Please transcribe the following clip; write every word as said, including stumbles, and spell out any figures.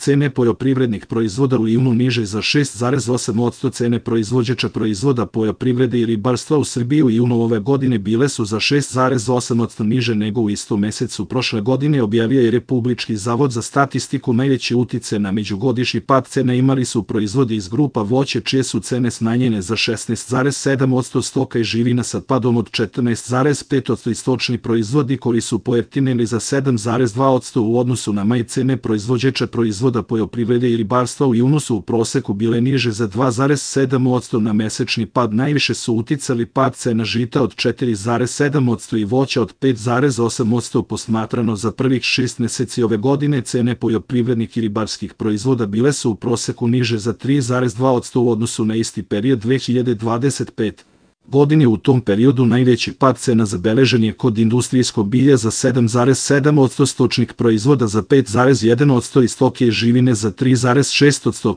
Cene poljoprivrednih proizvoda u junu niže za šest zarez osam posto, cene proizvođača proizvoda poljoprivrede i ribarstva u Srbiji u junu ove godine bile su za šest zarez osam posto niže nego u istom mesecu prošle godine, objavio je Republički zavod za statistiku. Najveći uticaj na međugodišnji pad cena imali su proizvodi iz grupa voće, čije su cene smanjene za šesnaest zarez sedam posto, stoka i živina sa padom od četrnaest zarez pet posto i stočni proizvodi koji su pojeftinili za sedam zarez dva posto u odnosu na maj. Cene proizvođača proizvoda poljoprivrede i ribarstva u junu su u proseku bile niže za dva zarez sedam posto na mesečni pad. Najviše su uticali pad cena žita od četiri zarez sedam posto i voća od pet zarez osam posto. Posmatrano za prvih šest meseci ove godine, cene poljoprivrednih i ribarskih proizvoda bile su u proseku niže za tri zarez dva posto u odnosu na isti period dve hiljade dvadeset pete. godine. U tom periodu najveći pad cena zabeležen je kod industrijskog bilja za sedam zarez sedam posto, stočnih proizvoda za pet zarez jedan posto i stoke i živine za tri zarez šest posto.